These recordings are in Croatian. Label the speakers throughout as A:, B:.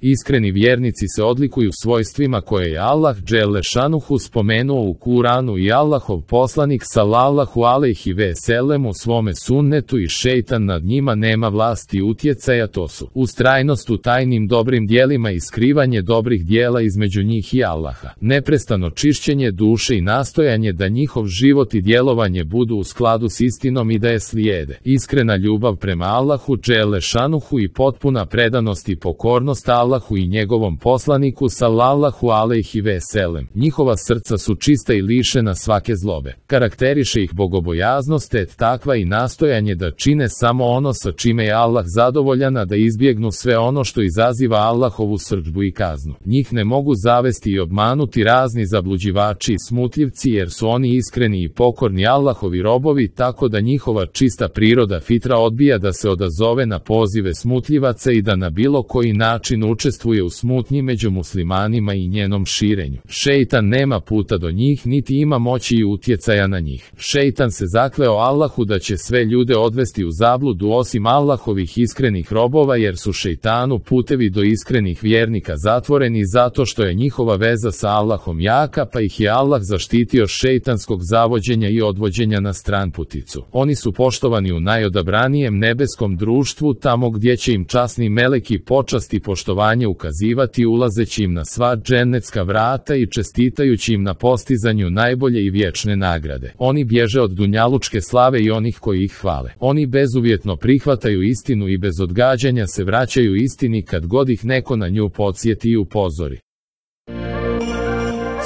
A: Iskreni vjernici se odlikuju svojstvima koje je Allah dželle šanuhu spomenuo u Kuranu i Allahov poslanik sallallahu alejhi ve sellem u svome sunnetu i šejtan nad njima nema vlasti i utjecaja, to su ustrajnost u tajnim dobrim djelima i skrivanje dobrih djela između njih i Allaha, neprestano čišćenje duše i nastojanje da njihov život i djelovanje budu u skladu s istinom i da je slijede, iskrena ljubav prema Allahu dželle šanuhu i potpuna predanost i pokornost Allahu i njegovom poslaniku sallallahu alejhi ve sellem. Njihova srca su čista i lišena svake zlobe. Karakteriše ih bogobojaznost te takva i nastojanje da čine samo ono sa čime je Allah zadovoljan, a da izbjegnu sve ono što izaziva Allahovu srdžbu i kaznu. Njih ne mogu zavesti i obmanuti razni zabluđivači i smutljivci, jer su oni iskreni i pokorni Allahovi robovi, tako da njihova čista priroda fitra odbija da se odazove na pozive smutljivaca i da na bilo koji način učestvuje u smutnji među muslimanima i njenom širenju. Šejtan nema puta do njih, niti ima moći i utjecaja na njih. Šejtan se zakleo Allahu da će sve ljude odvesti u zabludu osim Allahovih iskrenih robova, jer su šejtanu putevi do iskrenih vjernika zatvoreni zato što je njihova veza sa Allahom jaka, pa ih je Allah zaštitio šejtanskog zavođenja i odvođenja na stranputicu. Oni su poštovani u najodabranijem nebeskom društvu, tamo gdje će im časni meleki počast i poštovanje ukazivati, ulazeći im na sva džennetska vrata i čestitajući im na postizanju najbolje i vječne nagrade. Oni bježe od dunjalučke slave i onih koji ih hvale. Oni bezuvjetno prihvataju istinu i bez odgađanja se vraćaju istini kad god ih neko na nju podsjeti i upozori.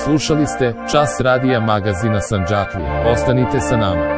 A: Slušali ste Čas radija magazina Sandžaklija. Ostanite sa nama.